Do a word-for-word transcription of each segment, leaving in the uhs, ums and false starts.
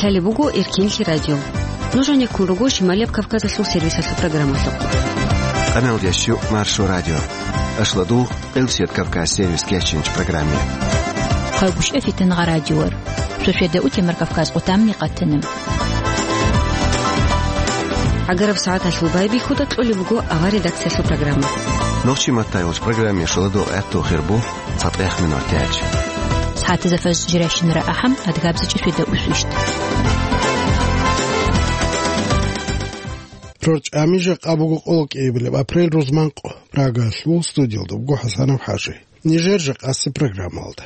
Гьале буго Эркинлъи радио. Нуж гьанеккун руго Шималияб Кавказалъул сервисалъул программалъухъ. Къаналдящу Маршо радио. Ашладу Къилсият Кавказ сервис кечинч программе. Хъайгуш эфитан гъа радиор. Сосведа утемар Кавказ къутамни къатана. Агараб сагӀаталъул байбихьуда кьолеб буго авар редакциялъул программа. Нохчи маттайолч программе шуладу гӀатту хирбу. ЦатӀех минутач. СагӀатазда фаз жиращинара ахӀам, адгабзичӀи светда усвищт. Рорчами жакъа буго къоло кӀиабилеб апрель рузманкъ Прагалъул студиялда буго ХӀасанов ХӀажи. Нижер жакъаси программалда.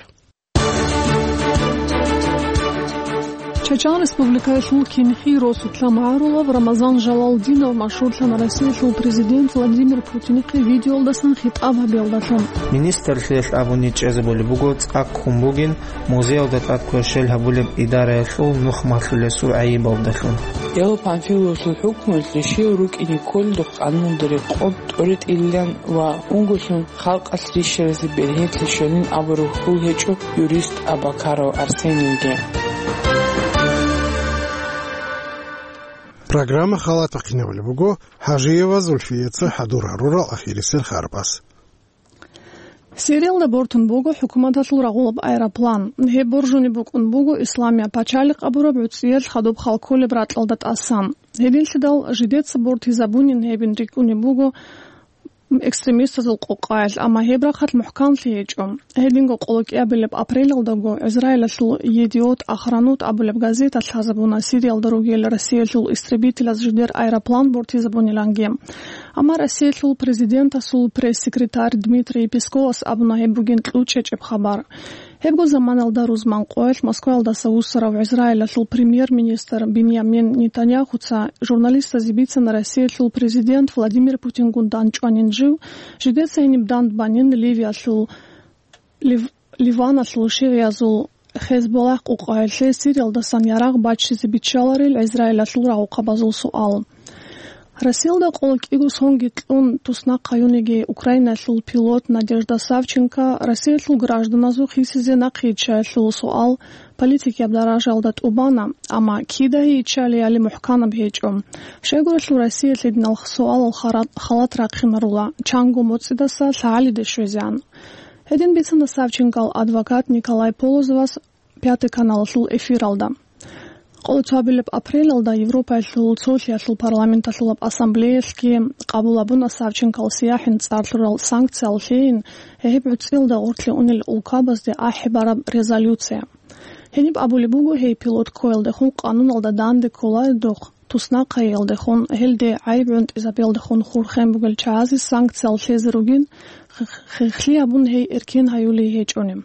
Чачан Республикаялъул кинхи росулъа магӀарулав Рамазан Жалалдинов машгьурлъана Россиялъул президент Владимир Путинихъе видеолдасан хитӀаб гьабиялдалъун. Министрлъиялъ абуни чӀезабулеб буго, цӀакъ хун бугин музеялда тӀад кверщел гьабулеб идараялъул нухмалъулесул гӀайибалдалъун. Эл Панфиловлъул хӀукмуялъ ришиял рукӀине кколелдухъ къануналда рекъон тӀоритӀилилан ва унголъун халкъалъ рищаразе бергьенлъи щолин абураб хьул гьечӀо юрист Абакаров Арсенийги. Программа халатахъинабулеб буго ХӀажиева Зульфияца хӀадур гьарурал ахирисел харбаз. Сириялда бортун буго хӀукуматалъул рагъулаб аэроплан. Гьеб боржунеб букӀун буго Исламия пачалихъ абураб гӀуцӀиялъ хадуб хал кколеб ракьалда тӀасан. Гьединлъидал жидеца бортизабунин гьебин рикӀкӀунеб буго экстремистазул къокъаялъ, амма гьеб рахъалъ мухӀканлъи гьечӀо. Гьединго къоло кӀиабилеб апрелалдаго Израилалъул «Едиот Ахронот» абулеб газета лъазабуна Сириялда ругел Россиялъул истребителаз жидер аэроплан бортизабуниланги. Амма Россиялъул президентасул пресс-секретарь Дмитрий Песковас абуна гьеб бугин кьучӀечӀеб хабар. Гьебго заманалда рузман къоялъ Москваялдаса вуссарав Израилалъул премьер-министр Биньямин Нетаньяхуца журналистазе бицана Россиялъул президент Владимир Путингун дандчӀванин жив, жидеца гьениб дандбанин Ливиялъул Лив-, Ливаналъул шигӀиязул Хезболлагь къукъаялъе Сириялдасан ярагъ баччизе биччаларил Израилалъул рагъухъабазул суал. Россиялда къоло кӀиго сонги кьун туснахъ гьаюниги Украинаялъул пилот Надежда Савченко Россиялъул гражданазул хисизе нахъе йиччаялъул суал политикияб даражаялда тӀубана, амма кида гьей йиччалиали мухӀканаб гьечӀо. Щайгурелъул Россиялъ гьединал суалал хара-, халат рахъинарула, чанго моцӀидаса лъагӀалиде щвезегӀан. Гьедин бицана Савченкол адвокат Николай Полозовас Пятый каналалъул эфиралда. Къоло цоабилеб апрелалда Европаялъул цолъиялъул парламенталъулаб ассамблеялъги къабул гьабуна Савченкол сияхӀин цӀар лъурал санкциял лъейин гьеб гӀуцӀиялда гъорлъе унел улкабазде ахӀи бараб резолюция. Гьениб абулеб буго, гьей пилот ккоялдехун къануналда данде кколаредухъ, туснахъайиялдехун, гьелде гӀайиб гӀунтӀизабиялдехун хурхен бугел чагӀазе санкциял лъезе ругин, хихлъи гьабун гьей эркен гьаюлей гьечӀони.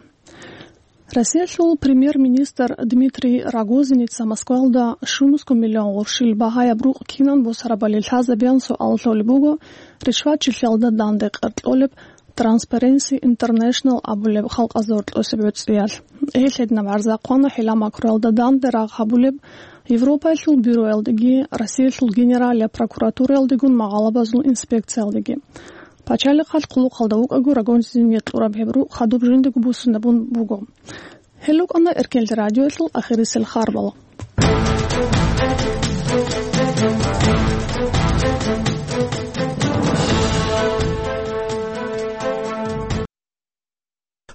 Россиялъул премьер-министр Дмитрий Рогозинница Москвалда щунусго миллион гъурщил багьаяб рукъ кинан босарабали лъазабеян суал лъолеб буго, ришватчилъиялда данде къеркьолеб Transparency International абулеб халкъазда гьоркьосеб гӀуцӀиялъ. Гьелъ гьединаб гӀарза хъвана хӀила макруялда данде рагъ гьабулеб Европаялъул бюроялдеги, Россиялъул Генералияб прокуратураялдегун магъалабазул инспекциялдеги. Пачалихъалъ хъулухъалда вукӀаго Рогозинние кьураб гьеб рукъ хадуб жиндего буссунебун буго. Гьел рукӀана Эркенлъи радиоялъул ахирисел харбал.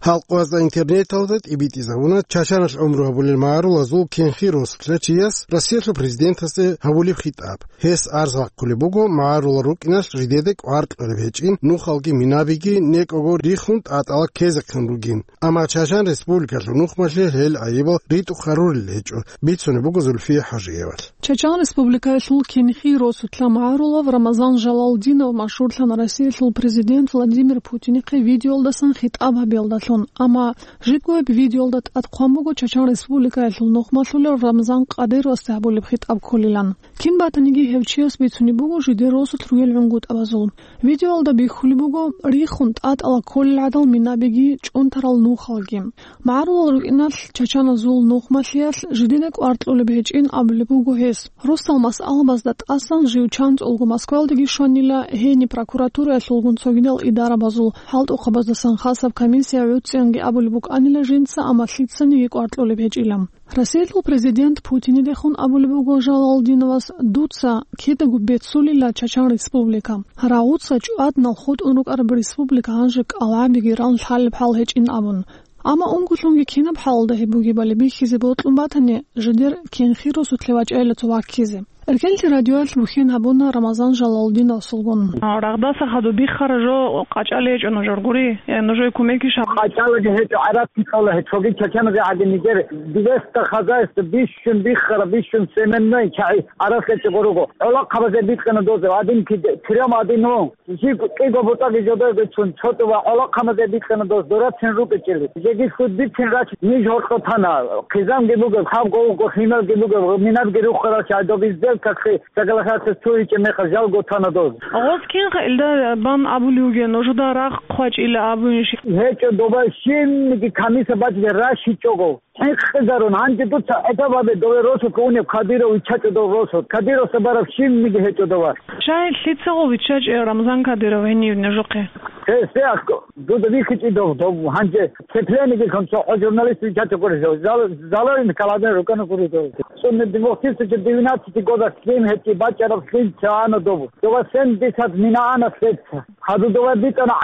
Халкъазда интернеталда тӀибитӀизабуна чачаналъ гӀумру гьабулел магӀарулазул кинхи росулъа чияс Россиялъул президентасде гьабулеб хитӀаб. Гьес арз бахъулеб буго, магӀарулал рукӀиналъ жидеде кӀвар кьолеб гьечӀин, нухалги минабиги некӀого рихун тӀатӀала ккезехъин ругин. Амма Чачан Республикалъул нухмалъе гьел гӀайибал ритӀухъ гьарурел гьечӀо, бицунеб буго Зульфия ХӀажиевалъ. Чачан Республикаялъул кинхи росулъа магӀарулав Рамазан Жалалдинов машгьурлъана Россиялъул президент Владимир Путинихъе видеолдасан хитӀаб гьабиялдалъун, амма жибго гьеб видеолда тӀад хъван буго Чачан Республикаялъул нухмалъулев Рамзан Кадыровасда гьабулеб хитӀаб кколилан. Кин батаниги гьев чияс бицунеб буго жидер росулъ ругел гӀунгутӀабазул. Видеоялда бихьулеб буго, рихун тӀатӀала кколел гӀадал минабиги чӀунтарал нухалги. МагӀарулал рукӀиналъ чачаназул нухмалъиялъ жидеда кӀвар кьолеб гьечӀин абулеб буго гьес. Росал масъалабазда тӀасан жив чанцӀулго Москвалдеги щванила, гьениб прокуратураялъулгун цогидал идарабазул хӀалтӀухъабаздасан хасаб комиссия ЦӀиянги абулеб букӀанила жинца, амма лъицаниги кӀвар кьолеб гьечӀила. Россиялъул президент Путинидехун абулеб буго Жалалдиновас: «Дуца кидаго беццулила Чачан Республика. Рагъуца чӀваднал хутӀун рукӀараб республика гьанже кӀалгӀабиги ран лъалеб хӀал гьечӀин», – абун. Амма ункулъунги кинаб хӀалалда гьеб бугебали бихьизе бокьун батани, жидер Кенхи росулъе вачӀайила цо ваккизе. Эркенлъи радиоялъ бухьен гьабуна Рамазан Жалалдиновасулгун. А, рагъдаса хадуб биххара жо къачӀале гьечӀо нужер гури, э, нужее кумекги ша. КъачӀалаги гьечӀо, гӀараб кицӀала гьечӀоги чачаназе гӀадин нигер. Двести хозяйство бищун биххара, бищун семенной чагӀи гӀараб гьечӀого руго. ГӀолохъабазе бикьана дозе, гьадин киде, трём гьадин вун. Жи кӀиго бутӀаги жодойгицун чотӀу ва гӀолохъабазе бикьана доз дорацин рукӀичӀели. Жеги худбицин рач ниж гьоркьо тана. Хъизамги бугеб, хаб гъовго хималги бугеб, минабги рухарал чагӀи доб изделкахъе соглашаться цо гьечӀеб мехалъ жалго тана доз. Гъос кинха илда бан абулев вугев, нужеда рагъ хъвачӀила абунищ? ГьечӀо доба щинниги комиссия бачӀизе ращичӀого. ХӀинкъизарун, гьанже дуца хӀисаб гьабе дове росулъ унеб Кадиров виччачӀо дов росулъ. Кадировса бараб щинниги гьечӀо дова. Щай лъицаго виччачӀев Рамзан Кадиров гьенив нужехъе? Гьесде аскӀо, дуда бихьичӀи дов, дов гьанже цеплениги концо хӀо журналист виччачӀо гури дов. Зал-, заларин каладен рукӀана гури дов. Цунна димохтисучи девятнадцать годах лъим гьечӀи бачӀараб лъим цаана дов. Дова семьдесят мина ана лъеца. Хадуб дова битӀана,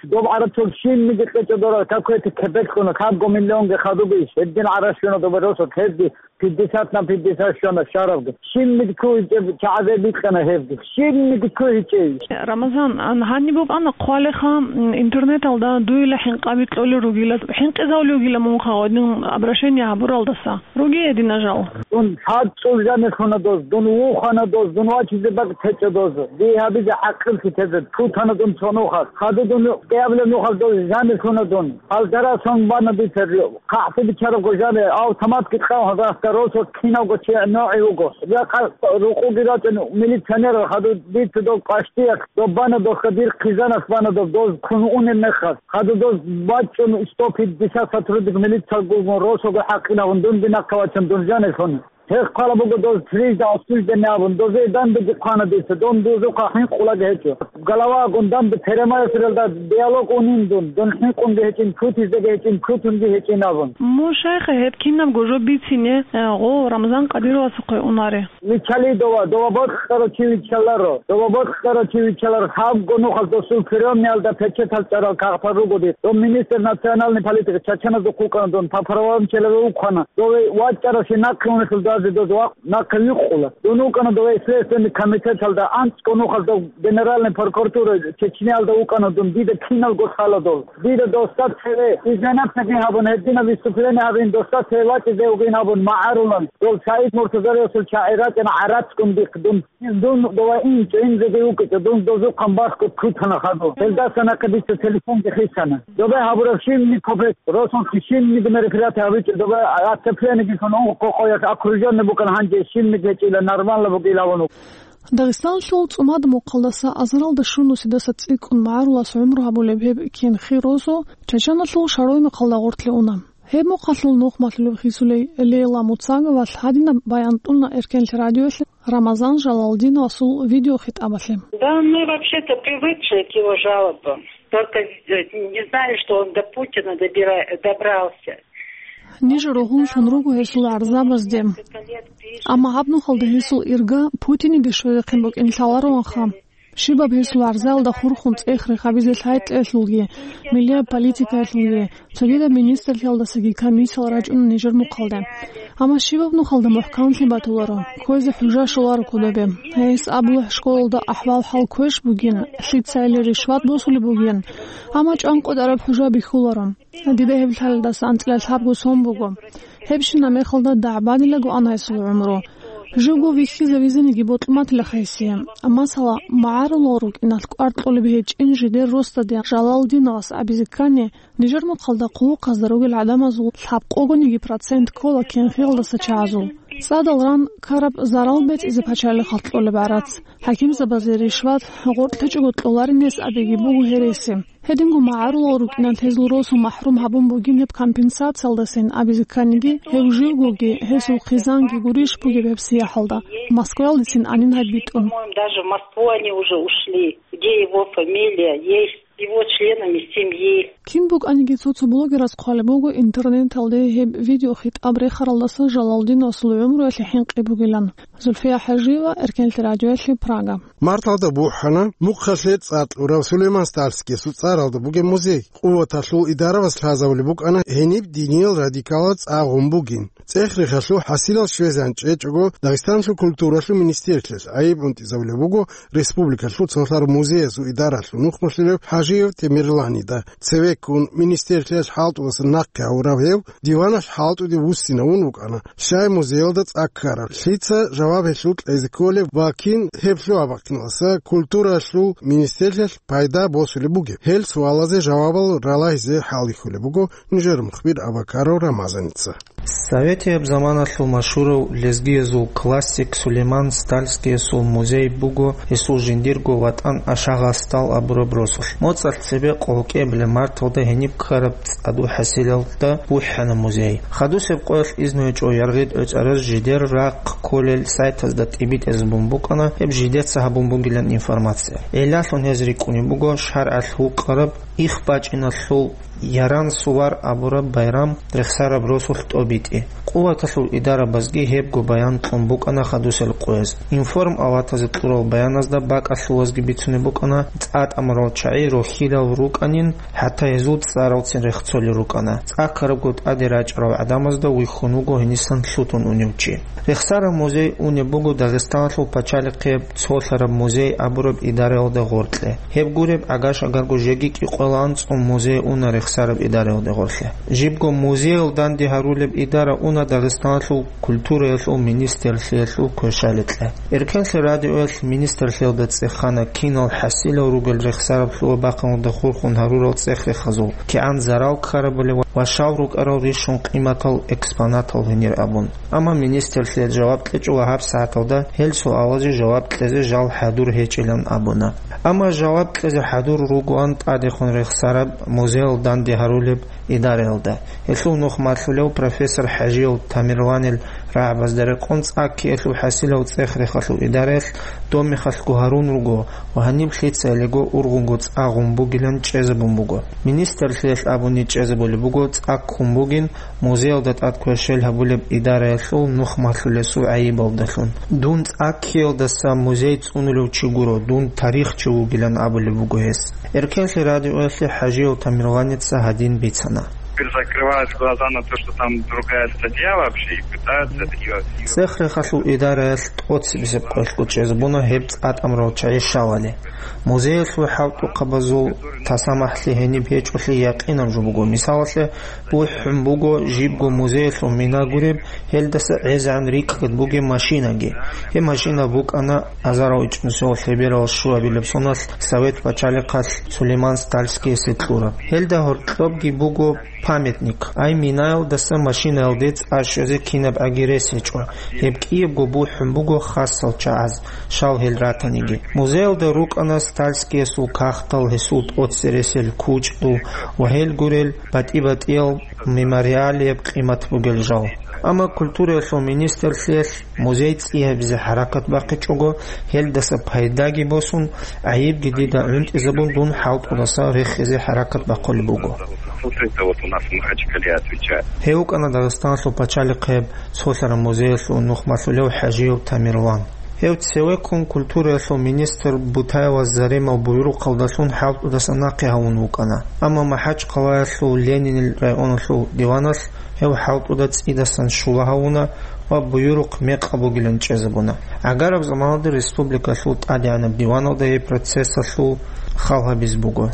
доб гӀарацул щинниги кьечӀо дора, какой-то кепек кьуна, хабго миллионги хадуб иш, гьедин гӀараш щуна доба росулъ, гьебги пятьдесят на пятьдесят щуна шарабги. Щинниги ккугьичӀеб чагӀазе бикьана гьебги. Щинниги ккугьичӀей. Рамазан, ан гьаниб букӀана хъвалеха, м, интернеталда дуйла хӀинкъаби кьолел ругила, хӀинкъизавли вугила мунха гьадин обращение гьабуралдаса. Ругие дина жал. Дун хӀацӀул жанир хьуна доз, дун вухана доз, дун вачизе бакӀ течӀо доз. Дие гьабизе хӀакъилъи тезе, путана дун цо нухалъ. Хадуб дун кӀиабилеб нухалъ доз жанир хьуна дун. Гьалдарал сон бана дица, хъахӀлъи бичарабго жанир, автоматги кьав гьазахъа росулъ кинавго чи ногӀи вуго. Ракъа рукъуги рачӀун милиционерал хадуб дица дов къвашдиялъ, доб бана дохъа дир хъизаналъ бана доб доз кун унеб мехалъ. Хадуб доз бачӀун сто пятьдесят сотрудник милициялгун росулго хӀакъилавун дун бинахъе вачун дун жанир хьуна. Гьеб хъвала буго доз трижды осужденный абун, дозе данбиги хъвана дица, дун дузухъа хӀинкъулаги гьечӀо. Головагун данби перемаэсрелда диалог унин дун, дун хӀинкъунги гьечӀин, путизеги гьечӀин, путунги гьечӀин абун. Мун шайха гьеб кинабго жо бицине, э, гъо Рамзан Кадировасухъе унаре? Виччали дова, дова бокьарав чи виччаларо, дова бокьарав чи виччаларо, хабго нухалъ досул приемниялда печатал чӀарал кагътал ругоди, дов министр национальной политики, чачаназухъ вукӀана дун, по правам человека вукӀана. Дове вачӀарасе нахъе унелъул дозе доз ва нахъе вихъула. Дун вукӀана дове Следственный комитеталда, анцӀго нухалъ дов Генеральный прокуратура Чечниялда вукӀана дун, дида киналго лъала дол. Дида доста цеве изменацияги гьабун, гьединаб выступление гьабин, доста цеве вачӀизе вугин абун магӀарулан. Дол Саид Муртазариевасул чагӀи рачӀана гӀарацгун дихъ дун. Дун дова инчӀо, инзеги вукӀичӀо, дун дозухъан бахго кутана хадур. Гьелдаса нахъе дица телефонги хисана. Добе гьабураб щибни копек, росулъ щибниги мероприятие гьабичӀо, добе отоплениеги хьун, ункъо къоялъ окружённый букӀана, гьанже щибниги гьечӀила, нормально бугила авун. Дагъистаналъул ЦӀумад мухъалдаса азаралда щунусидаса цӀикӀкӀун магӀарулас гӀумру гьабулеб гьеб Кенхи росу Чачаналъул Шарой мухъалда гъоркье уна. Гьеб мухъалъул нухмалъулеб хисулей Лейла Муцаговалъ гьадинаб баян тӀуна Эркенлъи радиоялъ Рамазан Жалалдиновасул видеохитӀабалъе. Да, мы вообще-то привыкшие к его жалобам. Только, э, не знали, что он до Путина добира-, добрался. Ниж ругьунлъун руго гьесул гӀарзабазде. Амма гьаб нухалда гьесул ирга Путиниде щвезехъин букӀин лъалароанха. Щибаб гьесул гӀарзаялда хурхун цӀех-рех гьабизе лъай-кьеялъулги, миллияб политикаялъулги, цогидаб министрлъиялдасаги комиссиял рачӀуна нижер мухъалде. Амма щибаб нухалда мухӀканлъи батуларо, кквезе хӀужа щоларо кодобе. Гьес абулеб школалда ахӀвал-хӀал квеш бугин, лъицайилан ришват босулеб бугин, амма чӀван къотӀараб хӀужа бихьуларо. Дида гьеб лъалдаса анцӀила лъабго сон буго. Гьебщинаб мехалда дагӀбадилаго ана гьесул гӀумру. Живго вихьизавизаниги бокьматила гьесие. Масала, магӀарулал рукӀиналъ кӀвар кьолеб гьечӀин жидер росдаде Жалалдиновас абизе ккани, нижер мухъалда хъулухъазда ругел гӀадамазул лъабкъогониги процент ккола Кенхиялдаса чагӀазул. ЦӀадал ран ккараб зарал бецӀизе пачалихъалъ кьолеб гӀарац, хӀакимзабазе ришват, гъоркьичӀого кьоларин гьес абиги буго гьереси. Гьединго магӀарулал рукӀиналъ гьезул росу махӀрум гьабун бугин гьеб компенсациялдасин абизе кканиги, гьев живгоги, гьесул хъизанги гурищ бугеб гьеб сияхӀалда, Москваялдецин анин гьаб битӀун. По-моему, даже в Москву они уже ушли, где его фамилия есть. его членами семьи. Кин букӀаниги цо-цо блогераз хъвалеб буго интернеталде гьеб видеохитӀаб рехаралдаса Жалалдиновасул гӀумруялъе хӀинкъи бугилан. Зульфия ХӀажиева, Эркенлъи радиоялъе, Прага. Марталда бухӀана мухъалъе цӀакъ кьурав Сулейман Стальскиясул цӀаралда бугеб музей. Къуваталъул идараваз лъазабулеб букӀана гьениб диниял радикалал цӀа гъун бугин. ЦӀех-рехалъул хӀасилал щвезегӀан чӀечӀого, Дагъистаналъул культуралъул министерствоялъ гӀайиб унтӀизабулеб буго республикалъул цолъараб музеязул идаралъул нухмалъулев ХӀажиев Темирланида. Цевеккун министерствоялъ хӀалтӀудасан нахъе гьавурав гьев диваналъ хӀалтӀуде вуссинавун вукӀана. Щай музеялда цӀа ккараб? Лъица жаваб гьелъул кьезе кколеб ва кин гьеб лъугьа-бахъиналдаса культуралъул министерствоялъ пайда босулеб бугеб? Гьел суалазе жавабал ралагьизе хӀалихьулеб буго нижер мухбир Абакаров Рамазаница. Советияб заманалъул машгьурав лезгиязул классик Сулейман Стальскиясул музей буго гьесул жиндирго ватӀан Ашагъастал абураб росулъ. МоцӀалъ цебе къоло кӀиабилеб марталда гьениб ккараб цӀадул хӀасилалда бухӀана музей. Хадусеб къоялъ изну гьечӀо яргъи тӀоцӀараз жидер рахъ кколел сайтазда тӀибитӀизабун букӀана гьеб жидеца гьабун бугилан информация. Гьелалъун гьез рикӀкӀунеб буго шаргӀалъ гьукъараб Их бачӀиналъул Яран сувар абураб байрам рехсараб росулъ тӀобитӀи. Къуваталъул идарабазги гьебго баян кьун букӀана хадусел къояз. Информ аватазе кьурал баяназда бакӀалъувазги бицунеб букӀана цӀа тӀамурал чагӀи рохьилал рукӀанин, хӀатта гьезул цӀаралцин рехцолел рукӀана, цӀа ккарабго тӀаде рачӀарал гӀадамазда вихьун вуго гьенисан лъутун унев чи. Рехсараб музей унеб буго Дагъистаналъул пачалихъе цолъараб музей абураб идараялда гъоркье. Гьеб гуреб, гӀагар-шагарго жеги кӀикъоялда анцӀго музей уна рехсараб идараялда гъорлъе. Жибго музеял данде гьарулеб идара уна Дагъистаналъул культураялъул министрлъиялъул кверщаликье. Эркенлъи радиоялъ министрлъиялда цӀехана кинал хӀасилал ругел рехсараб лъугьа-бахъиналда хурхун гьарурал цӀех-рехазул, кигӀан зарал ккарабали ва щал рукӀарал рищун къиматал экспонатал гьенир абун. Амма министрлъиялъ жаваб кьечӀо ва гьабсагӀаталда гьел суалазе жаваб кьезе жал хӀадур гьечӀилан абуна. Амма жаваб кьезе хӀадур ругоан тӀадехун рехсараб музеял данде гьарулеб идараялда. Гьелъул нух малъулев профессор ХӀажияв Тамерланил рагӀабазда рекъон цӀа ккеялъул хӀасилал цӀех-рехалъул идараялъ доб мехалъго гьарун руго ва гьаниб лъицайилго ургъунго цӀа гъун бугилан чӀезабун буго. Министрлъиялъ абуни чӀезабулеб буго цӀа ккун бугин, музеялда тӀад кверщел гьабулеб идараялъул нух малъулесул гӀайибалдалъун. Дун цӀа ккеялдаса музей цӀунулев чи гуро, дун тарихчи вугилан абулеб буго гьес. Эркенлъи радиоялъе ХӀажияв Тамерланица гьадин бицана. Теперь закрывают глаза на то, что там другая статья вообще, и пытаются это делать. ЦӀех-рехалъул идараялъ тӀоцебесеб къоялъго чӀезабуна гьеб цӀа тӀамурал чагӀи щалали. Музеялъул хӀалтӀухъабазул тасамахӀлъи гьениб гьечӀолъи якъинаб жо буго. Мисалалъе, бухӀун буго жибго музеялъул мина гуреб, гьелдаса гӀезегӀан рикӀкӀад бугеб машинаги. Гьеб машина букӀана азарал ичӀнусиялъул лъеберал щуабилеб соналъ Совет пачалихъалъ Сулейман Стальскиясе кьураб. Гьелда гьоркьобги буго памятник, ай минаялдаса машинаялде цӀа щвезе кинабгӀаги рес гьечӀо. Гьеб кӀиябго бухӀун буго хасал чагӀаз, щал гьел ратаниги. Музеялда рукӀана Стальскиясул кагътал, гьесул тӀоцересел кучӀдул ва гьел гурел батӀи-батӀиял мемориалияб къимат бугел жал. Амма культураялъул министрлъиялъ музей цӀи гьабизе хӀаракат бахъичӀого, гьелдаса пайдаги босун, гӀайибги дида гӀунтӀизабун, дун хӀалтӀудаса рехизе хӀаракат бахъулеб буго. Слушайте, вот у нас в Махачкале отвечает. Гьев вукӀана Дагъистаналъул пачалихъеб цолъараб музеялъул нухмалъулев ХӀажиев Тамерлан. Гьев цевеккун культураялъул министр Бутаева Заремал буюрухъалдалъун хӀалтӀудаса нахъе гьавун вукӀана. Амма МахӀачхъалаялъул Ленинил районалъул диваналъ гьев хӀалтӀуда цӀидасан щула гьавуна ва буюрухъ мекъаб бугилан чӀезабуна. ГӀагараб заманалда республикалъул тӀадегӀанаб диваналда гьеб процессалъул хал гьабиз буго.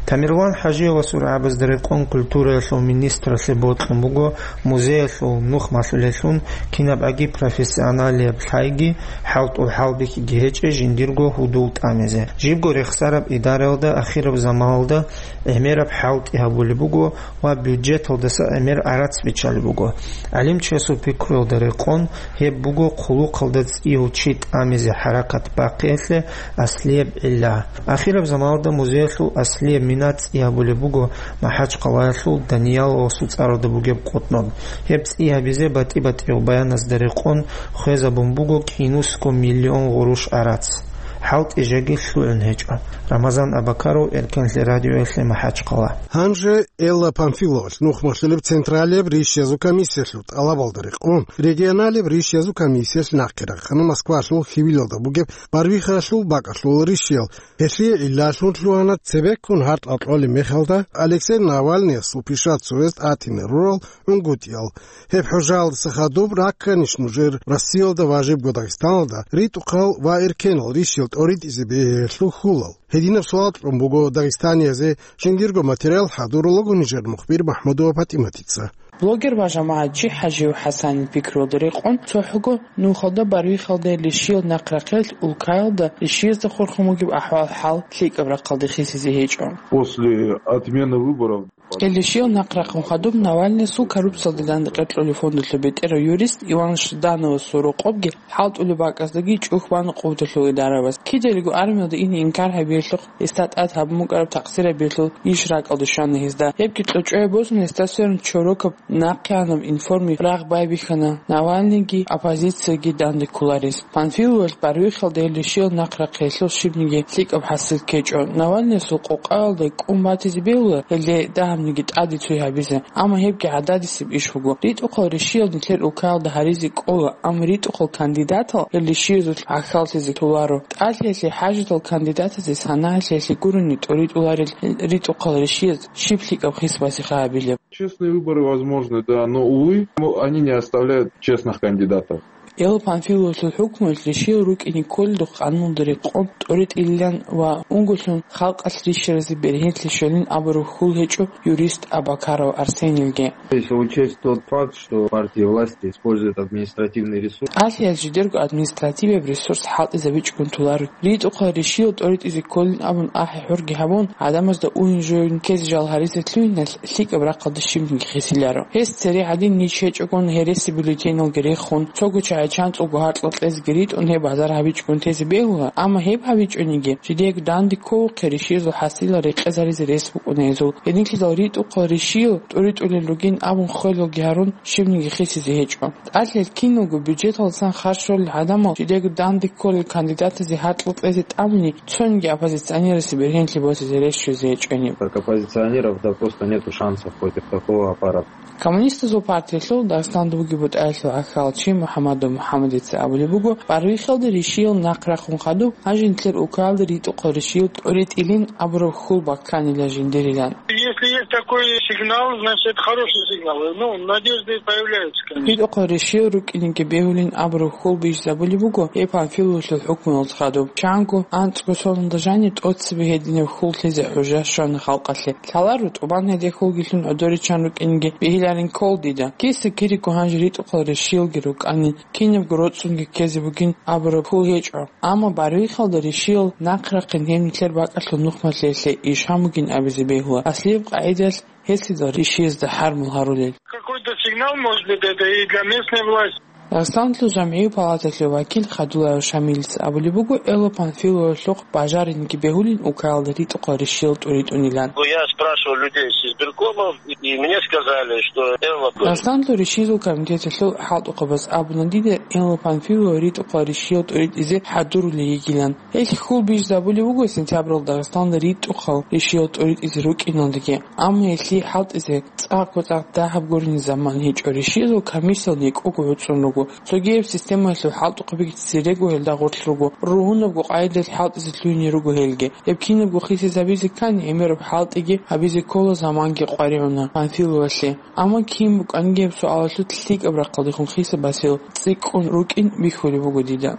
Тамерлан ХӀажиевасул рагӀабазда рекъон культураялъул министралъе бокьун буго музеялъул нух малъулелъун кинабгӀаги профессионалияб лъайги, хӀалтӀул хӀалбихьиги гьечӀей жиндирго гьудул тӀамизе. Жибго рехсараб идараялда ахираб заманалда гӀемераб хӀалтӀи гьабулеб буго ва бюджеталдаса гӀемер гӀарац биччалеб буго. ГӀалимчиясул пикруялда рекъон, гьеб буго хъулухъалда цӀияв чи тӀамизе хӀаракат бахъиялъе аслияб гӀилла. Ахираб заманалда музеялъул аслияб мина цӀи гьабулеб буго МахӀачхъалаялъул Данияловасул цӀаралда бугеб къутӀноб. Гьеб цӀи гьабизе батӀи-батӀиял баяназда рекъон хвезабун буго кӀинусго миллион гъурущ гӀарац. хӀалтӀи жеги лъугӀун гьечӀо. Рамазан Абакаров, Эркенлъи радиоялъе, МахӀачхъала. Гьанже Элла Памфиловалъ нухмалъулеб Централияб ришиязул комиссиялъул тӀалабалда рекъон, регионалияб ришиязул комиссиялъ нахъе рахъана Москвалъул хьивилалда бугеб Барвихалъул бакӀалъул ришиял. Гьелъие гӀиллалъун лъугьана цебеккун гьартӀал кьолеб мехалда Алексей Навальныясул пишацояс тӀатине рурал унгутӀиял. Гьеб хӀужаялдаса хадуб ракканищ нужер Россиялда ва жибго Дагъистаналда ритӀухъал ва эркенал ришиял тӀоритӀизе бегьиялъул хьулал? Гьединаб суал кьун буго дагъистаниязе жиндирго материал хӀадурулего нижер мухбир МахӀмудова ПатӀиматица. Блогер ва жамагӀатчи ХӀажиев ХӀасанил пикруялда рекъон, цохӀого нухалда Барвихалда ришиял нахърахъел улкаялда ришиязда хурхун бугеб ахӀвал-хӀал лъикӀаб рахъалде хисизе гьечӀо. После отмены выборов Гьел ришиял нахърахъун хадуб Навальныясул коррупциялде дандекъер кьолеб фондалъул бетӀерав юрист Иван Ждановасул рокъобги хӀалтӀулеб бакӀаздаги чӀухь бана къуваталъул идараябаз. Кидаялго армиялде ине инкар гьабиялъухъ гьесда тӀад гьабун букӀараб такъсир гьабиялъул иш ракӀалде щвана гьезда. Гьебги кьочӀое босун, гьесда сверун чорокаб нахъеанаб информи рагъ байбихьана Навальныйги оппозицияги данде кколарес. Панфиловалъ Барвихалда гьел ришиял нахърахъиялъул щибниги лъикӀаб хӀасил ккечӀо. Навальныясул къокъаялда кӀун батизе бегьула гьелде дагьабниги тӀаде цой гьабизе, амма гьебги гӀададисеб иш буго. РитӀухъал ришиял нилъер улкаялда гьаризе кӀола, амма ритӀухъал кандидатал гьел ришиязулъ гӀахьаллъизе толаро. ТӀалъиялъе хӀажатал кандидатазе санагӀалъиялъе гурони тӀоритӀуларел ритӀухъал ришияз щиб лъикӀаб хис басиха гьабилеб. Честные выборы возможны, да, но, увы, они не оставляют честных кандидатов. Элла Панфиловалъул хӀукмуялъ ришиял рукӀине кколелдухъ къануналда рекъон тӀоритӀилилан ва унго лъун халкъалъ рищаразе бергьенлъи щолин абураб хьул гьечӀо юрист Абакаров Арсенилги. Если учесть тот факт, что партии власти используют административный ресурс. ТӀалъиялъ жидерго административияб ресурс хӀалтӀизабичӀогун толаро. РитӀухъал ришиял тӀоритӀизе кколин абун ахӀи-хӀурги гьабун, гӀадамазда уйин-жуйин ккезе жал гьаризе лъугьиналъ лъикӀаб рахъалде щибниги хисиларо. Гьес цере гьадин ниж гьечӀогун гьереси бюллетеналги рехун, цого чагӀи чанцӀулго гьаркьал кьезеги ритӀун гьеб базар гьабичӀогун тезе бегьула, амма гьеб гьабичӀониги, жидеего данде кколухъе ришиязул хӀасилал рекъезаризе рес букӀуна гьезул. Гьединлъидал ритӀухъал ришиял тӀоритӀулел ругин абун хвелалги гьарун, щибниги хисизе гьечӀо. ТӀалъиялъ киналго бюджеталдасан харж щолел гӀадамал жидеего данде кколел кандидатазе гьаркьал кьезе тӀамуни цониги оппозиционерасе бергьенлъи босизе рес щвезе гьечӀони. Как оппозиционеров, да, просто нету шансов против такого аппарата. Коммунистазул партиялъул Дагъистанда бугеб бутӀаялъул гӀахьалчи МухӀаммадов МухӀаммадица абулеб буго, Барвихалда ришиял нахърахъун хадуб, гьанже нилъер улкаялда ритӀухъал ришиял тӀоритӀилин абураб хьул бакканила жиндирилан. Если есть такой сигнал, значит, это хороший сигнал. Ну, надежды появляются, конечно. РитӀухъал ришиял рукӀинеги бегьулин абураб хьул бижизабулеб буго гьеб Панфиловалъул хӀукмуялда хадуб. Чанго анцӀго соналда жанир тӀоцебе гьединаб хьул лъезе хӀужа щвана халкъалъе. Лъаларо, тӀубан гьедин хьулги лъун гӀодоричан рукӀинеги бегьиларин ккола дида. Киса-кириго гьанже ритӀухъал ришиялги рукӀанин, кинабго роцӀцӀунги ккезе бугин абураб хьул гьечӀо. Амма Барвихалда ришиял нахърахъин гьеб нилъер бакӀалъул нухмалъиялъе иш гьамугин абизе бегьула. Аслияб къагӀидалъ гьелъидал ришиязда хӀармул гьарулел. Какой-то сигнал, может быть, это и для местной власти. Дагъистаналъул жамгӀиял палаталъул вакил Хадулаев Шамилица абулеб буго, Элла Панфиловалъухъ бажаринги бегьулин улкаялда ритӀухъал ришиял тӀуритӀунилан. Я спрашивал людей с избиркомов, и мне сказали, что Элла Дагъистаналъул ришиязул комитеталъул хӀалтӀухъабаз абуна дида Элла Панфилова ритӀухъал ришиял тӀуритӀизе хӀадурулей йигилан. Гьелъ хьул бижизабулеб буго сентябралда Дагъистаналда ритӀухъал ришиял тӀуритӀизе рукӀиналдаги, амма гьелъие хӀалтӀизе цӀакъго-цӀакъ дагьаб гурони заман гьечӀо. Ришиязул комиссиял некӀого гӀуцӀун руго. Цогияб системаялъул хӀалтӀухъабиги церего гьелда гъорлъ руго. Ругьунабго къагӀидалъ хӀалтӀизе лъугьине руго гьелги. Гьеб кинабго хисизабизе ккани, гӀемераб хӀалтӀиги гьабизе ккола, заманги къваригӀуна Панфиловалъе. Амма кин букӀаниги гьеб суалалъулъ лъикӀаб рахъалдехун хисаб басил цӀикӀкӀун рукӀин бихьулеб буго дида.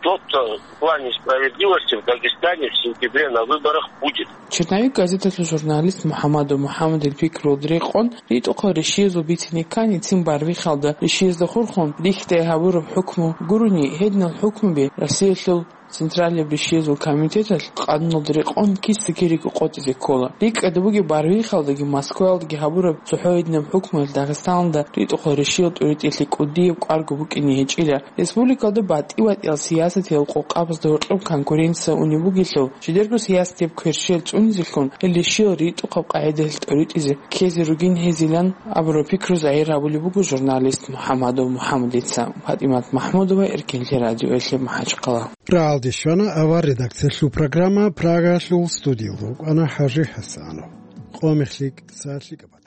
Что-то в плане справедливости в Дагестане в сентябре на выборах будет. Черновик газеталъул журналист МухӀаммадов МухӀаммадил пикруялда рекъон, ритӀухъал ришиязул бицине ккани, цин Барвихалда ришиязда хурхун рихьдай гьабураб хӀукму гурони, гьединал хӀукмуби Россиялъул Централияб ришиязул комитеталъ къануналда рекъон киса-кириго къотӀизе ккола. РикӀкӀада бугеб, Барвихалдаги Москваялдаги гьабураб цохӀо гьединаб хӀукмуялъ Дагъистаналда ритӀухъал ришиял тӀуритӀиялъе кӀудияб кӀварго букӀине гьечӀила. Республикалда батӀи-батӀиял сиясатиял къокъабазда гьоркьоб конкуренция унеб бугелъул, жидерго сиясатияб кверщел цӀунизелъун, гьел ришиял ритӀухъаб къагӀидалъ тӀуритӀизе ккезе ругин гьезилан абураб пикру загьир гьабулеб буго журналист МухӀаммадов МухӀаммадица. ПатӀимат МахӀмудова, Эркинлъи радиоялъе, МахӀачхъала. Рагьалде щвана авар редакциялъул программа, Прагалъул студиялда рукӀана ХӀажи ХӀасанов. Къо-мех лъикӀ, сагӀат лъикӀаб.